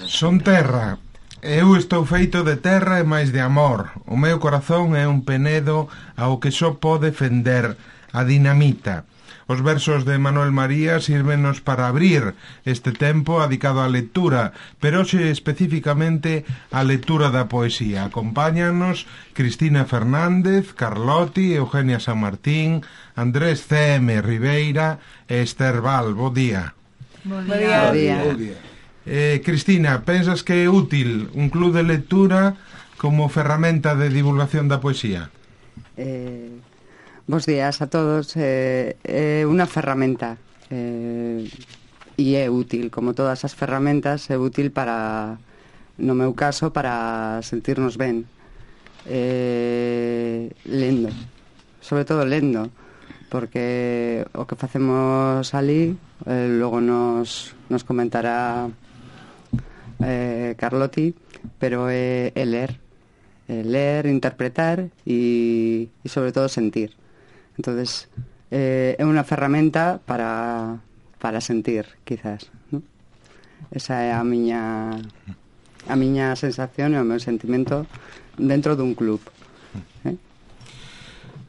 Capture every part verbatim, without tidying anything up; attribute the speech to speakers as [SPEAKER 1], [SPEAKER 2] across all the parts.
[SPEAKER 1] Son terra. Eu estou feito de terra e máis de amor. O meu corazón é un penedo ao que só pode fender a dinamita. Os versos de Manuel María sírvenos para abrir este tempo dedicado á lectura, pero hoxe especificamente á lectura da poesía. Acompáñanos Cristina Fernández, Carlotti, Eugenia San Martín, Andrés C M Ribeira e Esther Val. Bo día.
[SPEAKER 2] Bo día. Bo día.
[SPEAKER 1] Bo día. Eh, Cristina, pensas que é útil un club de lectura como ferramenta de divulgación da poesía?
[SPEAKER 2] Eh... Bos días a todos. É eh, eh, unha ferramenta eh, e é útil, como todas as ferramentas, é útil para, no meu caso, para sentirnos ben, eh, lendo, sobre todo lendo, porque o que facemos ali eh, logo nos, nos comentará eh, Carlotti, pero é, é ler, é ler, interpretar e, e sobre todo sentir. Entonces, eh, é unha ferramenta para, para sentir, quizás, ¿no? Esa é a miña a miña sensación e o meu sentimento dentro dun club. ¿Eh?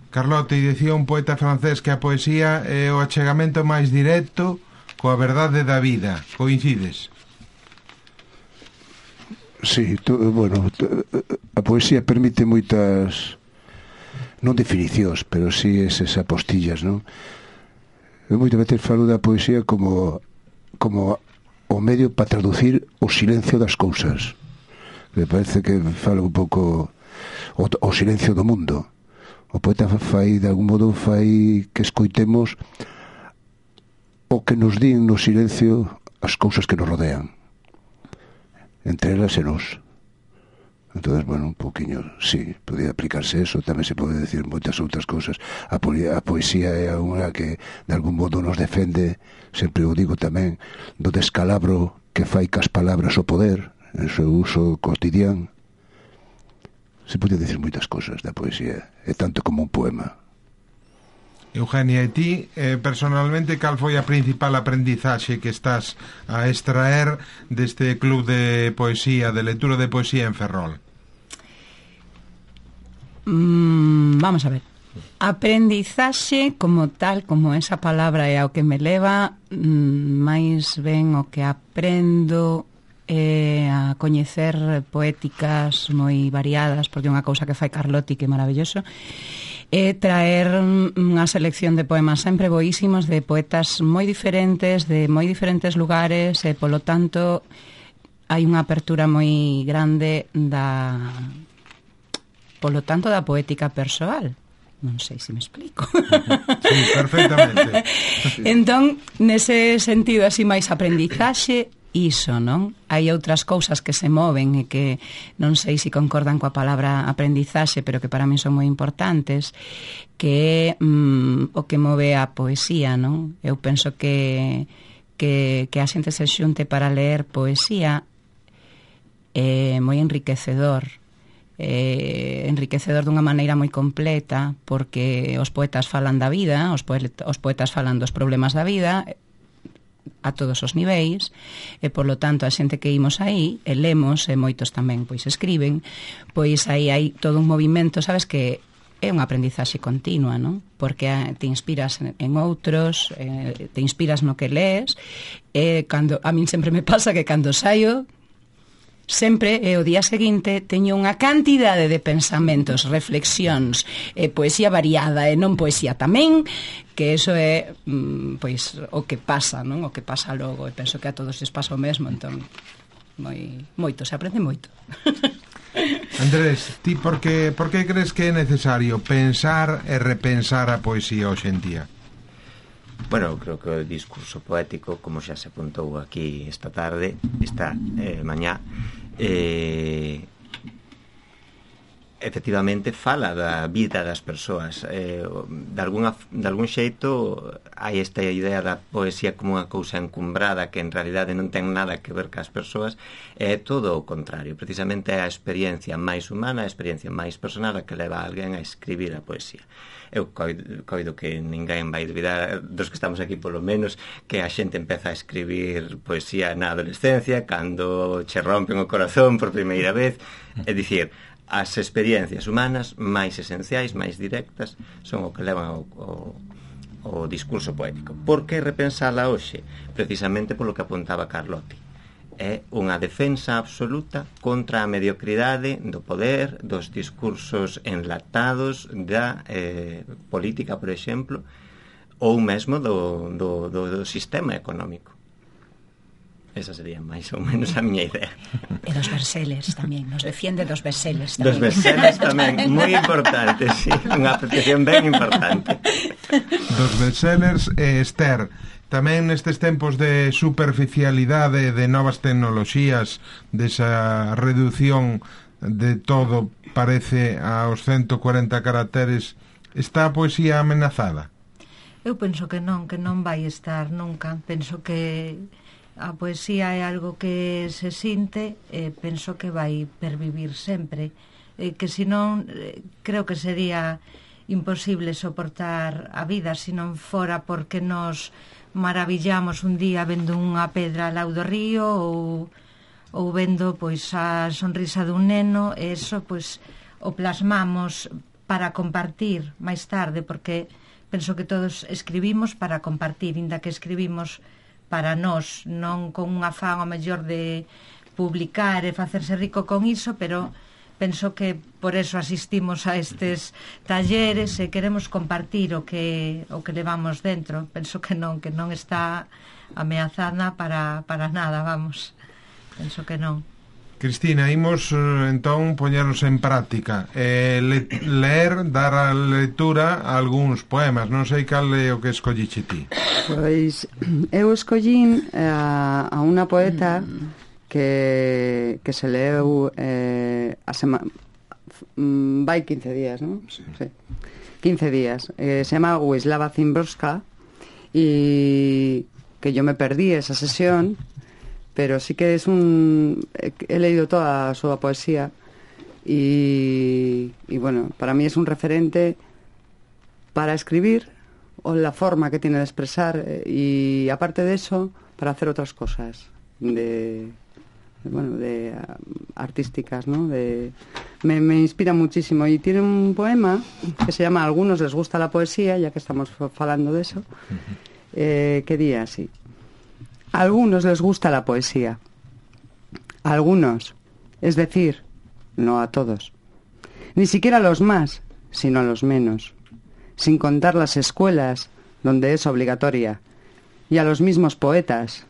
[SPEAKER 1] Carlotti, dicía un poeta francés que a poesía é o achegamento máis directo coa verdade da vida. Coincides?
[SPEAKER 3] Sí, to, bueno, to, a poesía permite moitas... non definicións, pero si sí esas apostillas, non? Eu moitas veces falo da poesía como como o medio para traducir o silencio das cousas. Me parece que falo un pouco o, o silencio do mundo. O poeta fai, de algún modo, fai que escoitemos o que nos din no silencio as cousas que nos rodean. Entre elas e nos. Entonces, bueno, un poquinho, sí, podía aplicarse eso. Tamén se pode decir moitas outras cousas. A, po a poesía é unha que de algún modo nos defende, sempre o digo tamén, do descalabro que fai cas palabras o poder en seu uso cotidiano. Se pode decir moitas cousas da poesía, é tanto como un poema.
[SPEAKER 1] Eugenia, e ti, eh, personalmente, cal foi a principal aprendizaxe que estás a extraer deste club de poesía, de lectura de poesía en Ferrol?
[SPEAKER 4] Mm, vamos a ver. Aprendizaxe como tal, como esa palabra é ao que me leva, mm, máis ben o que aprendo é a coñecer poéticas moi variadas, porque é unha cousa que fai Carlotti que é maravilloso, é traer unha selección de poemas sempre boísimos de poetas moi diferentes, de moi diferentes lugares, e polo tanto hai unha apertura moi grande da polo tanto da poética persoal. Non sei se me explico.
[SPEAKER 1] Sí, perfectamente.
[SPEAKER 4] Entón, nese sentido así máis aprendizaxe, iso, non? Hai outras cousas que se moven e que non sei se concordan coa palabra aprendizaxe, pero que para mí son moi importantes, que é mm, o que move a poesía, non? Eu penso que, que, que a xente se xunte para ler poesía é moi enriquecedor, é enriquecedor dunha maneira moi completa, porque os poetas falan da vida, os, poeta, os poetas falan dos problemas da vida, a todos os niveis, e polo tanto a xente que imos aí e lemos, e moitos tamén pois escriben, pois aí hai todo un movimento, sabes, que é unha aprendizaxe continua, non? Porque te inspiras en outros, eh, te inspiras no que lees, e cando, a min sempre me pasa que cando saio sempre, e o día seguinte teño unha cantidade de pensamentos, reflexións, e poesía variada e non poesía tamén, que eso é mm, pois o que pasa, non? O que pasa logo, e penso que a todos les pasa o mesmo, entón moi moito, se aprende moito.
[SPEAKER 1] Andrés, ti por que por que crees que é necesario pensar e repensar a poesía hoxe en día?
[SPEAKER 5] Bueno, creo que o discurso poético, como xa se apuntou aquí esta tarde, esta eh, mañá, eh, efectivamente fala da vida das persoas. Eh, de, alguna, de algún xeito hai esta idea da poesía como unha cousa encumbrada que en realidade non ten nada que ver cas persoas. É todo o contrario, precisamente é a experiencia máis humana, a experiencia máis personal a que leva a alguén a escribir a poesía. Eu coido, coido que ninguén vai dubidar, dos que estamos aquí polo menos, que a xente empeza a escribir poesía na adolescencia, cando che rompen o corazón por primeira vez. É dicir, as experiencias humanas máis esenciais, máis directas, son o que levan ao, ao, ao discurso poético. Por que repensala hoxe? Precisamente polo que apuntaba Carlotti. É unha defensa absoluta contra a mediocridade do poder, dos discursos enlatados da eh, política, por exemplo, ou mesmo do, do, do, do sistema económico. Esa sería máis ou menos a miña idea.
[SPEAKER 4] E dos versellers tamén, nos defiende dos versellers tamén.
[SPEAKER 5] Dos versellers tamén, moi importante, sí, unha apreciación ben importante.
[SPEAKER 1] Dos versellers, eh, Esther, tamén nestes tempos de superficialidade, de novas tecnoloxías, desa reducción de todo, parece, aos ciento cuarenta caracteres, está a poesía amenazada?
[SPEAKER 6] Eu penso que non, que non vai estar nunca. Penso que a poesía é algo que se sinte e penso que vai pervivir sempre, e que senón creo que sería imposible soportar a vida se non fora porque nos maravillamos un día vendo unha pedra ao lado do río ou, ou vendo pois a sonrisa dun neno, e eso pois o plasmamos para compartir máis tarde, porque penso que todos escribimos para compartir, inda que escribimos para nós, non con un afán ao mellor de publicar e facerse rico con iso, pero penso que por eso asistimos a estes talleres e queremos compartir o que o que levamos dentro. Penso que non, que non está ameazada para, para nada, vamos. Penso que non.
[SPEAKER 1] Cristina, imos entón poñernos en práctica, eh, le, ler, dar a lectura a algúns poemas. Non sei cal é o que escolliche ti.
[SPEAKER 2] Pois eu escollín a, a unha poeta que, que se leu eh, a sema, vai quince días, non? Sí. Sí. quince días. Eh, se chama Wisława Szymborska, e que yo me perdí esa sesión, pero sí que es un... he leído toda a súa poesía y, y bueno, para mí es un referente para escribir o la forma que tiene de expresar, y aparte de eso para hacer otras cosas de, de bueno, de uh, artísticas, ¿no? De, me, me inspira muchísimo, y tiene un poema que se llama Algunos les gusta la poesía, ya que estamos hablando de eso, eh, que di así: a algunos les gusta la poesía, a algunos, es decir, no a todos, ni siquiera a los más, sino a los menos, sin contar las escuelas donde es obligatoria, y a los mismos poetas.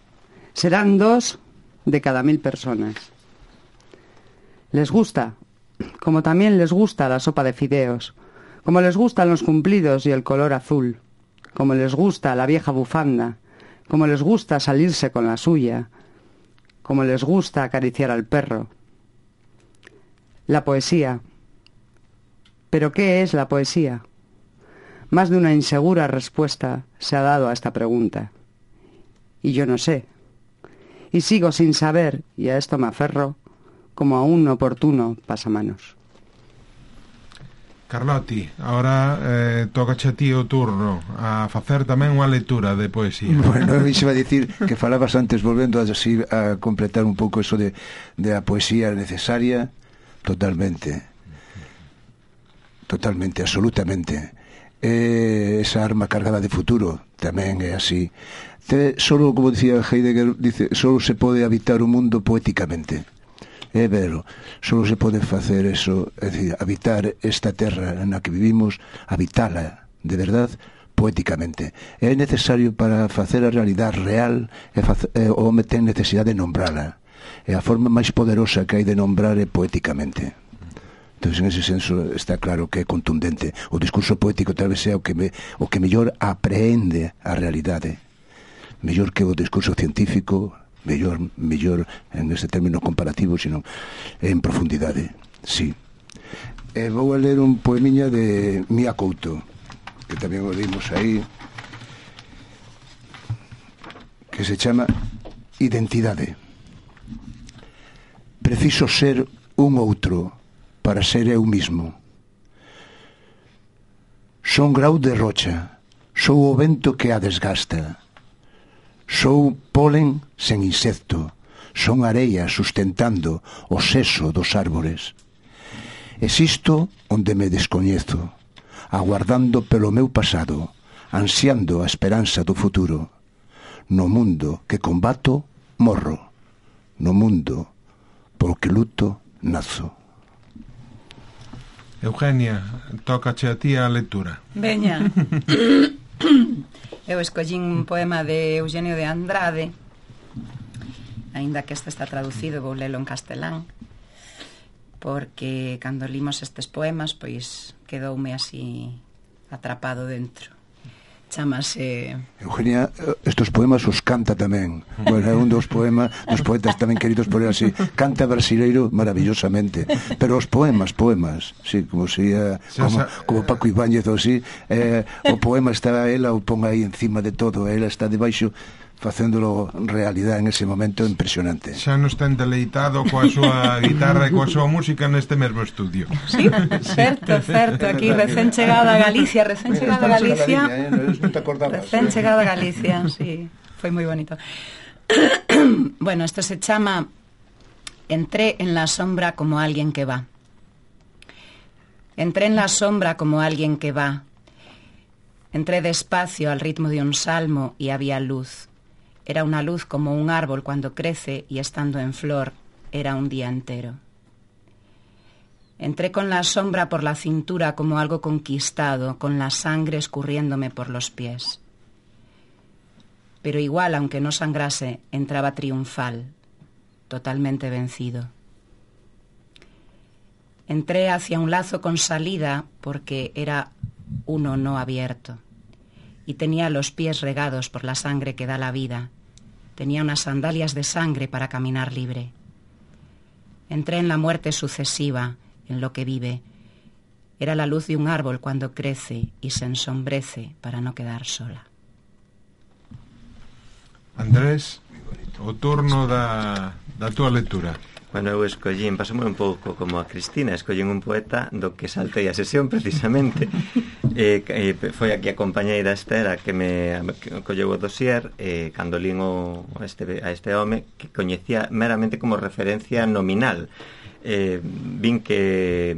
[SPEAKER 2] Serán dos de cada mil personas. Les gusta, como también les gusta la sopa de fideos, como les gustan los cumplidos y el color azul, como les gusta la vieja bufanda, como les gusta salirse con la suya, como les gusta acariciar al perro. La poesía. ¿Pero qué es la poesía? Más de una insegura respuesta se ha dado a esta pregunta. Y yo no sé. Y sigo sin saber, y a esto me aferro, como a un oportuno pasamanos.
[SPEAKER 1] Carlotti, ahora eh, tocache a ti o turno a facer tamén unha lectura de poesía.
[SPEAKER 3] Bueno, a mí se va a dicir que falabas antes, volvendo a, así, a completar un pouco eso de, de a poesía necesaria, totalmente, totalmente, absolutamente. Eh, esa arma cargada de futuro tamén é así. Te, solo, como dicía Heidegger, dice, solo se pode habitar o mundo poéticamente. É vero, só se pode facer eso, é dicir, habitar esta terra na que vivimos, habitala de verdad poéticamente. É necesario para facer a realidade real, e facer, e, o home ten necesidade de nombrala. E a forma máis poderosa que hai de nombrar é poéticamente. Entón, en ese senso, está claro que é contundente. O discurso poético tal vez é o que, me, o que mellor aprehende a realidade. Mellor que o discurso científico, mellor, mellor en este término comparativo, sino en profundidade, sí. E vou a ler un poemiña de Mía Couto, que tamén o dimos aí, que se chama Identidade. Preciso ser un outro para ser eu mismo. Son grau de rocha, sou o vento que a desgasta. Sou polen sen insecto, son areia sustentando o seso dos árbores. Existo onde me descoñezo, aguardando pelo meu pasado, ansiando a esperanza do futuro. No mundo que combato, morro. No mundo polo que luto, nazo.
[SPEAKER 1] Eugenia, tócache a ti a lectura.
[SPEAKER 4] Veña. Eu escollín un poema de Eugenio de Andrade, aínda que este está traducido, vou lelo en castelán, porque cando limos estes poemas, pois quedoume así atrapado dentro. Chamase...
[SPEAKER 3] Eugenia, estos poemas os canta tamén. Bueno, é un dos poemas, dos poetas tamén queridos por él así. Canta brasileiro maravillosamente. Pero os poemas, poemas, sí, como sería, como, como Paco Ibáñez ou así, eh, o poema está, ela o pon aí encima de todo, ela está debaixo facéndolo realidade en ese momento impresionante.
[SPEAKER 1] Xa nos ten deleitado coa súa guitarra e coa súa música neste mesmo estudio.
[SPEAKER 4] Sí, certo, certo, aquí recén chegada a Galicia, recén chegada a Galicia, recén chegada a Galicia, sí, foi moi bonito. Bueno, esto se chama Entré en la sombra como alguien que va. Entré en la sombra como alguien que va. Entré despacio al ritmo de un salmo y había luz. Era una luz como un árbol cuando crece y estando en flor, era un día entero. Entré con la sombra por la cintura como algo conquistado, con la sangre escurriéndome por los pies. Pero igual, aunque no sangrase, entraba triunfal, totalmente vencido. Entré hacia un lazo con salida porque era uno no abierto y tenía los pies regados por la sangre que da la vida. Tenía unas sandalias de sangre para caminar libre. Entré en la muerte sucesiva, en lo que vive. Era la luz de un árbol cuando crece y se ensombrece para no quedar sola.
[SPEAKER 1] Andrés, o turno da, da túa lectura.
[SPEAKER 5] Bueno, eu escollín, pasome un pouco como a Cristina, escollín un poeta do que saltei a sesión precisamente. eh, eh, foi aquí a compañeira Estera que me que colleu o dossier, eh, cando lín o, este, a este home que coñecía meramente como referencia nominal. Eh, vin que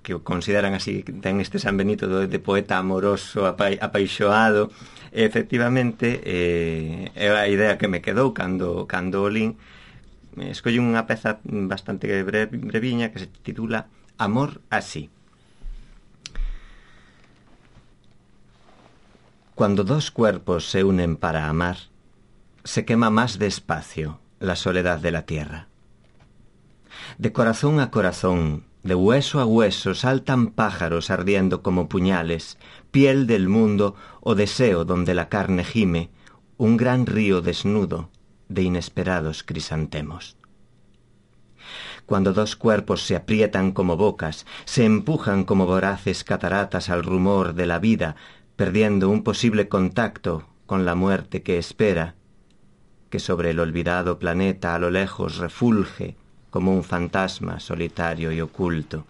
[SPEAKER 5] que o consideran así, ten este San Benito de, de poeta amoroso, apa, apaixoado. E, efectivamente, eh, é a idea que me quedou cando, cando o lín. Escollo unha peza bastante breve, breviña que se titula Amor así. Cuando dos cuerpos se unen para amar, se quema más despacio la soledad de la tierra. De corazón a corazón, de hueso a hueso, saltan pájaros ardiendo como puñales, piel del mundo o deseo donde la carne gime, un gran río desnudo de inesperados crisantemos. Cuando dos cuerpos se aprietan como bocas, se empujan como voraces cataratas al rumor de la vida, perdiendo un posible contacto con la muerte que espera, que sobre el olvidado planeta a lo lejos refulge como un fantasma solitario y oculto.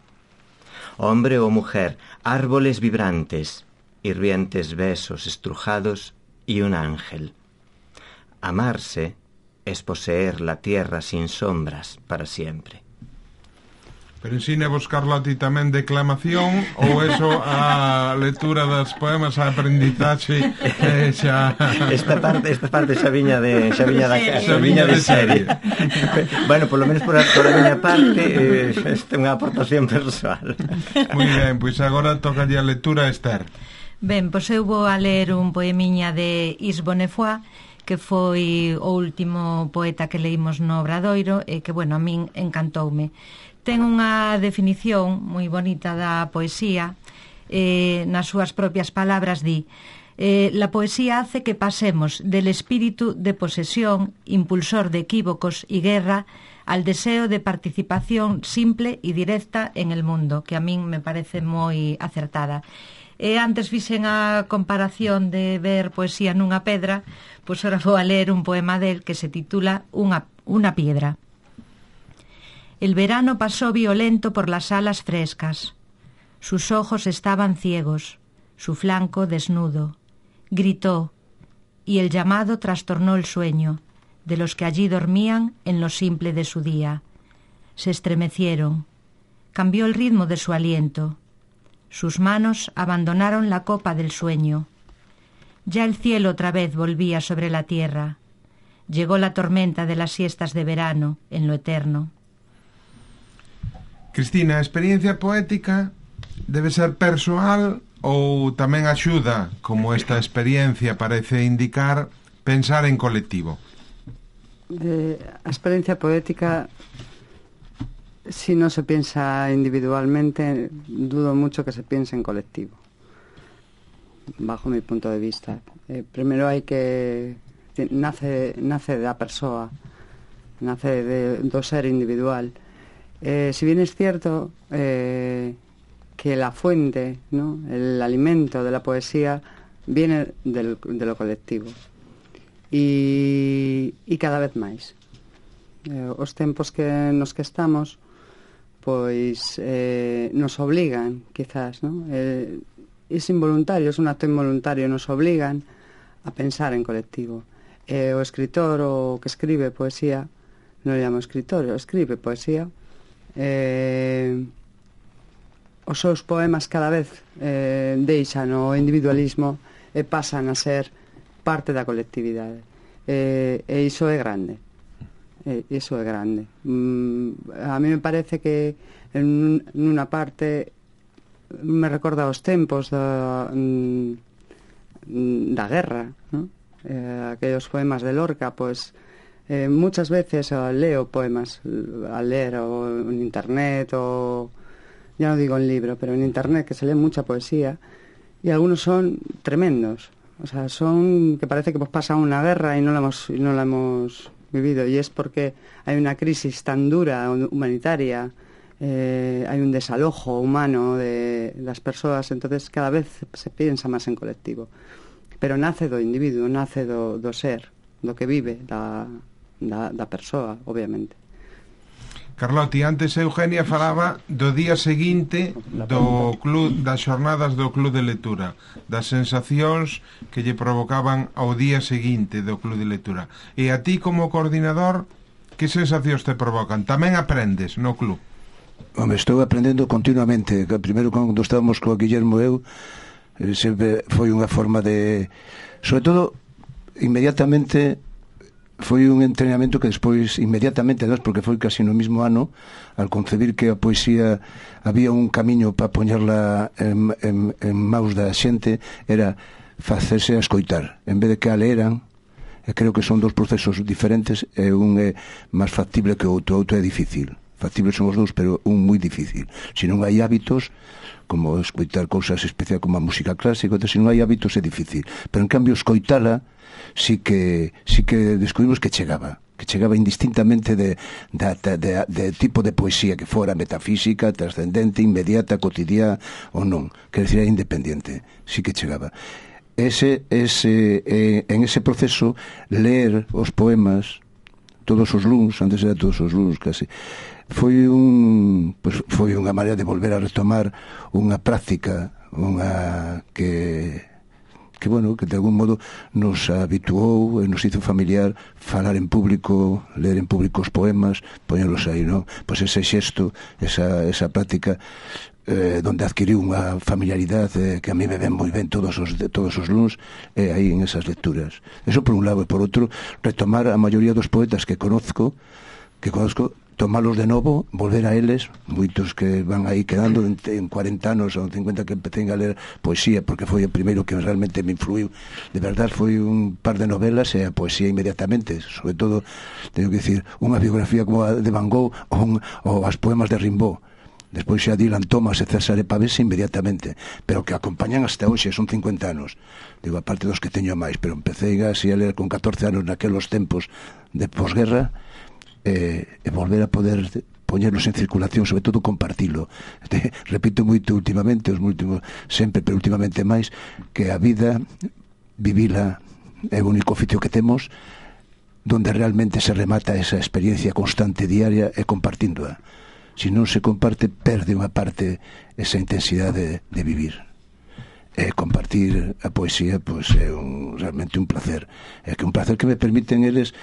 [SPEAKER 5] Hombre o mujer, árboles vibrantes, hirvientes besos estrujados y un ángel. Amarse es poseer la tierra sin sombras para siempre.
[SPEAKER 1] Pero ensina vos, Carloti, tamén declamación ou eso a lectura das poemas, a aprendizaxe eh, xa...
[SPEAKER 5] Esta parte, esta parte xa viña de xa viña da xa viña de serie. Bueno, por lo menos por a, por a miña parte eh, esta é unha aportación persoal.
[SPEAKER 1] Moi ben, pois agora toca a lectura a Esther.
[SPEAKER 6] Ben, pois eu vou a ler un poemiña de Yves Bonnefoy, que foi o último poeta que leímos no Obradoiro e que, bueno, a min encantoume. Ten unha definición moi bonita da poesía, eh, nas súas propias palabras di: eh, la poesía hace que pasemos del espíritu de posesión, impulsor de equívocos y guerra, al deseo de participación simple y directa en el mundo, que a min me parece moi acertada. E antes fixen a comparación de ver poesía nunha pedra, pois ahora vou a ler un poema del que se titula Una, una piedra. El verano pasó violento por las alas frescas. Sus ojos estaban ciegos, su flanco desnudo. Gritó, y el llamado trastornó el sueño de los que allí dormían en lo simple de su día. Se estremecieron. Cambió el ritmo de su aliento. Sus manos abandonaron la copa del sueño. Ya el cielo otra vez volvía sobre la tierra. Llegó la tormenta de las siestas de verano en lo eterno.
[SPEAKER 1] Cristina, a experiencia poética debe ser persoal ou tamén axuda, como esta experiencia parece indicar, pensar en colectivo?
[SPEAKER 2] Eh, a experiencia poética, si no se piensa individualmente, dudo mucho que se piense en colectivo, bajo mi punto de vista. Eh, primero hai que... nace, nace da persoa, nace de, do ser individual. Eh, si bien es cierto eh, que la fuente, ¿no?, el alimento de la poesía viene del, de lo colectivo. E, e cada vez máis eh, os tempos que nos que estamos pois eh, nos obligan quizás, ¿no? Eh, es involuntario, es un acto involuntario, nos obligan a pensar en colectivo. Eh, o escritor o que escribe poesía, non le llamo escritor, o escribe poesía, eh, os seus poemas cada vez eh, deixan o individualismo e pasan a ser parte da colectividade, e, e iso é grande, e, iso é grande. Mm, a mí me parece que en unha parte me recorda os tempos da, da guerra, ¿no? Eh, aquellos poemas de Lorca, pues eh, muchas veces uh, leo poemas al leer o en internet, o ya no digo en libro, pero en internet, que se lee mucha poesía, y algunos son tremendos. O sea, son que parece que pues pasa una guerra y no la hemos, y no la hemos vivido, y es porque hay una crisis tan dura humanitaria, eh, hay un desalojo humano de las personas, entonces cada vez se piensa más en colectivo, pero nace do individuo, nace do, do ser, do que vive da, da, da persoa, obviamente.
[SPEAKER 1] Carloti, antes Eugenia falaba do día seguinte do club, das xornadas do Club de Lectura, das sensacións que lle provocaban ao día seguinte do Club de Lectura. E a ti como coordinador, que sensacións te provocan? Tamén aprendes no club?
[SPEAKER 3] Home, estou aprendendo continuamente. Primeiro, cando estábamos co Guillermo e eu, sempre foi unha forma de... Sobre todo, inmediatamente... foi un entrenamento que despois inmediatamente, además, porque foi casi no mismo ano, al concebir que a poesía había un camiño para poñerla en, en, en maus da xente, era facerse a escoitar en vez de que a leeran. E creo que son dos procesos diferentes, e un é máis factible que o outro. O outro é difícil, factibles son os dous, pero un moi difícil. Se non hai hábitos, como escoitar cousas especiais como a música clásica, se non hai hábitos é difícil, pero en cambio escoitala sí que sí que descubrimos que chegaba, que chegaba indistintamente de, de, de, de tipo de poesía que fora metafísica, trascendente, inmediata, cotidiana ou non, quer decir, era independiente, sí que chegaba. Ese, ese, eh, en ese proceso, ler os poemas todos os luns, antes era todos os luns casi, foi un pues, foi unha maneira de volver a retomar unha práctica, unha que que, bueno, que de algún modo nos habituou e nos hizo familiar falar en público, ler en público os poemas, poñelos aí, non? Pois ese xesto, esa, esa práctica eh, donde adquiriu unha familiaridade eh, que a mí me ven moi ben todos os, de, todos os luns, eh, aí en esas lecturas. Eso por un lado, e por outro, retomar a maioría dos poetas que conozco, que conozco, tomalos de novo, volver a eles, moitos que van aí quedando en, en cuarenta anos ou cincuenta que empecé a ler poesía, porque foi o primeiro que realmente me influiu. De verdade, foi un par de novelas e a poesía inmediatamente, sobre todo, teño que dicir, unha biografía como a de Van Gogh ou, ou as poemas de Rimbaud. Despois xa Dylan Thomas e César Pavese inmediatamente, pero que acompañan hasta hoxe, son cincuenta anos. Digo, aparte dos que teño máis, pero empecé así a ler con catorce anos naquelos tempos de posguerra, e, e volver a poder poñerlos en circulación, sobre todo compartilo. Te, repito moito últimamente, os últimos, sempre, pero últimamente máis, que a vida, vivila, é o único oficio que temos, donde realmente se remata esa experiencia constante diaria e compartíndoa. Se non se comparte, perde unha parte esa intensidade de, de vivir. E compartir a poesía, pois é un, realmente un placer. É que un placer que me permiten eles.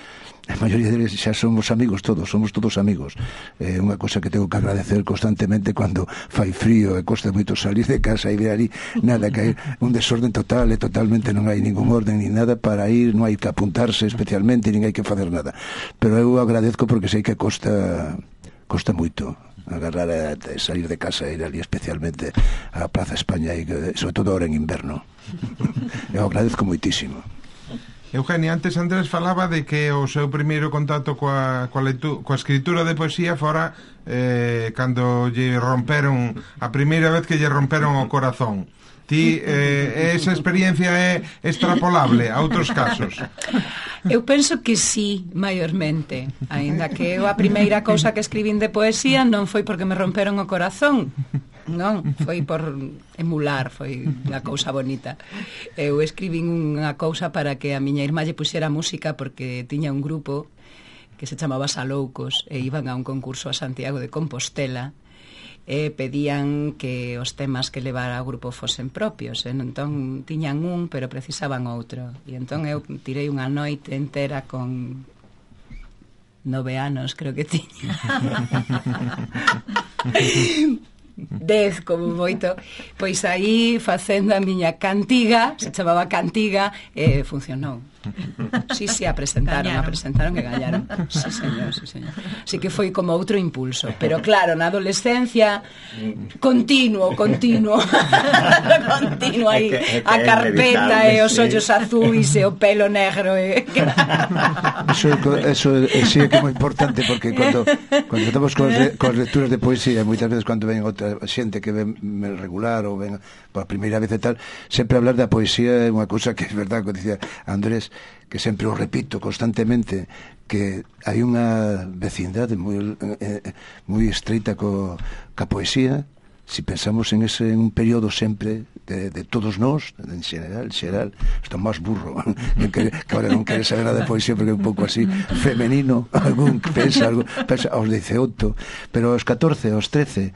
[SPEAKER 3] A maioría deles xa somos amigos todos, somos todos amigos. É unha cosa que tengo que agradecer constantemente cando fai frío e costa moito salir de casa e ver ali nada, que hai un desorden total e totalmente non hai ningún orden ni nada para ir, non hai que apuntarse especialmente, nin hai que facer nada. Pero eu agradezco porque sei que costa costa moito agarrar a salir de casa e ir ali especialmente á Plaza España e sobre todo ahora en inverno. Eu agradezco moitísimo.
[SPEAKER 1] Eugenio, antes Andrés falaba de que o seu primeiro contacto coa, coa, leitu, coa escritura de poesía fora eh, cando lle romperon a primeira vez que lle romperon o corazón. Ti, eh, esa experiencia é extrapolable a outros casos?
[SPEAKER 4] Eu penso que sí, maiormente. Aínda que eu a primeira cousa que escribín de poesía non foi porque me romperon o corazón. Non, foi por emular, foi unha cousa bonita. Eu escribín unha cousa para que a miña irmá lle puxera música porque tiña un grupo que se chamaba Saloucos e iban a un concurso a Santiago de Compostela e pedían que os temas que levara ao grupo fosen propios, e entón tiñan un, pero precisaban outro, e entón eu tirei unha noite entera con nove anos, creo que tiña dez como moito, pois aí facendo a miña cantiga, se chamaba cantiga, e funcionou. Sí, sí, a presentaron, a presentaron e gañaron. Sí, señor, sí, señor. Así que foi como outro impulso, pero claro, na adolescencia continuo, continuo continuo aí a carpeta e os ollos azuis e o pelo negro e...
[SPEAKER 3] Eso, eso sí é que é moi importante, porque cando, cando estamos con, con lecturas de poesía, moitas veces cando ven outra xente que ven regular ou ven por primeira vez e tal, sempre hablar da poesía é unha cousa que é verdade, que dicía Andrés, que sempre o repito constantemente, que hai unha vecindade moi eh, moi estreita co, ca poesía, si pensamos en ese en un período sempre de, de todos nós, en xeral, xeral, está máis burro que, que ahora non quere saber nada de poesía porque é un pouco así femenino, algún que pensa, algo, pensa aos dezaoito, pero aos catorce, aos trece,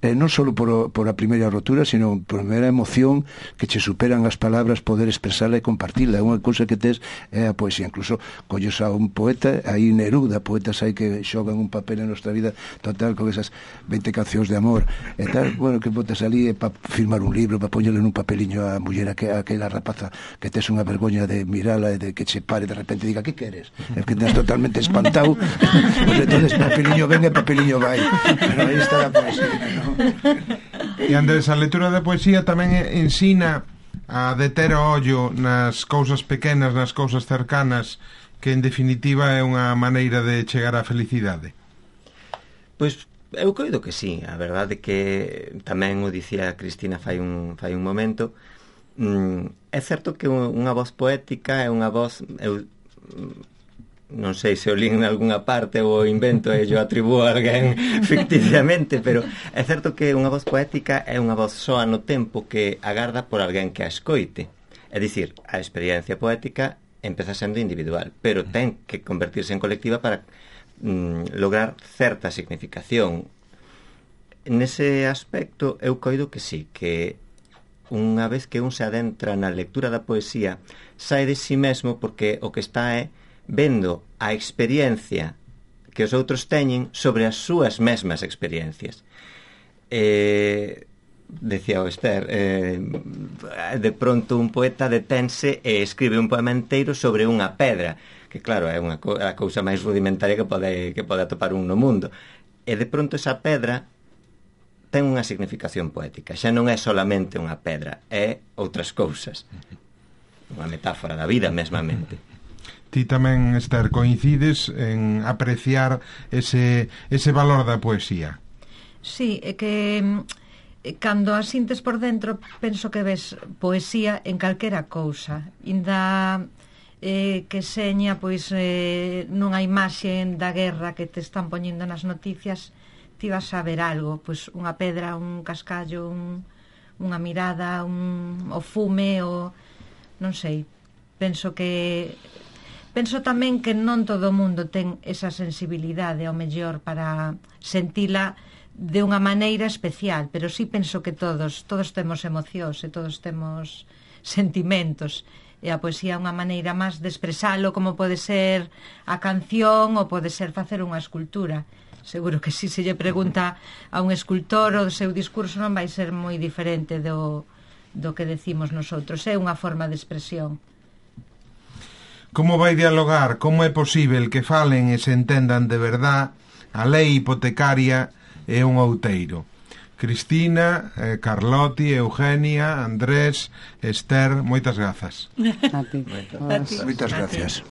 [SPEAKER 3] eh, non só por, por a primeira rotura, sino por a primeira emoción que che superan as palabras, poder expresala e compartila. É unha cousa que tes é a poesía. Incluso colles a un poeta, aí Neruda, poetas aí que xogan un papel en nosa vida total con esas veinte cancións de amor e tal, bueno, que botas ali para firmar un libro, para poñerle nun papeliño a muller, a aquela rapaza que tes unha vergoña de mirala e de que che pare de repente e diga, que queres? É que tens totalmente espantado. Pues entonces papeliño ven e papeliño vai. Pero aí está a poesía, ¿no?
[SPEAKER 1] E Andrés, a lectura da poesía tamén ensina a deter o ollo nas cousas pequenas, nas cousas cercanas, que en definitiva é unha maneira de chegar á felicidade.
[SPEAKER 5] Pois eu coido que sí, a verdade que tamén o dicía Cristina fai un, fai un momento. mm, é certo que unha voz poética é unha voz, eu non sei se o lín en algunha parte ou o invento e yo atribúo a alguén ficticiamente, pero é certo que unha voz poética é unha voz soa no tempo que agarda por alguén que a escoite. É dicir, a experiencia poética empeza sendo individual, pero ten que convertirse en colectiva para mm, lograr certa significación. Nese aspecto eu coido que sí, que unha vez que un se adentra na lectura da poesía, sae de si mesmo porque o que está é vendo a experiencia que os outros teñen sobre as súas mesmas experiencias. Eh, decía o Esther, eh, de pronto un poeta detense e escribe un poema inteiro sobre unha pedra, que claro, é unha co- a cousa máis rudimentaria que pode, que pode atopar un no mundo. E de pronto esa pedra ten unha significación poética. Xa non é solamente unha pedra, é outras cousas. Unha metáfora da vida mesmamente.
[SPEAKER 1] Ti tamén, Esther, coincides en apreciar ese, ese valor da poesía?
[SPEAKER 6] Sí, é que eh, cando a sintes por dentro penso que ves poesía en calquera cousa. Inda eh, que seña pois eh, nunha imaxe da guerra que te están poñendo nas noticias, ti vas a ver algo, pois unha pedra, un cascallo, un, unha mirada, un, o fume, o non sei. Penso que penso tamén que non todo o mundo ten esa sensibilidade ao mellor para sentila de unha maneira especial, pero sí penso que todos todos temos emocións e todos temos sentimentos, e a poesía é unha maneira máis de expresalo, como pode ser a canción ou pode ser facer unha escultura. Seguro que si se lle pregunta a un escultor, o seu discurso non vai ser moi diferente do, do que decimos nosotros, é unha forma de expresión.
[SPEAKER 1] Como vai dialogar, como é posible que falen e se entendan de verdad a lei hipotecaria e un outeiro? Cristina, eh, Carlotti, Eugenia, Andrés, Esther, moitas grazas.
[SPEAKER 2] A ti.
[SPEAKER 3] Moitas gracias.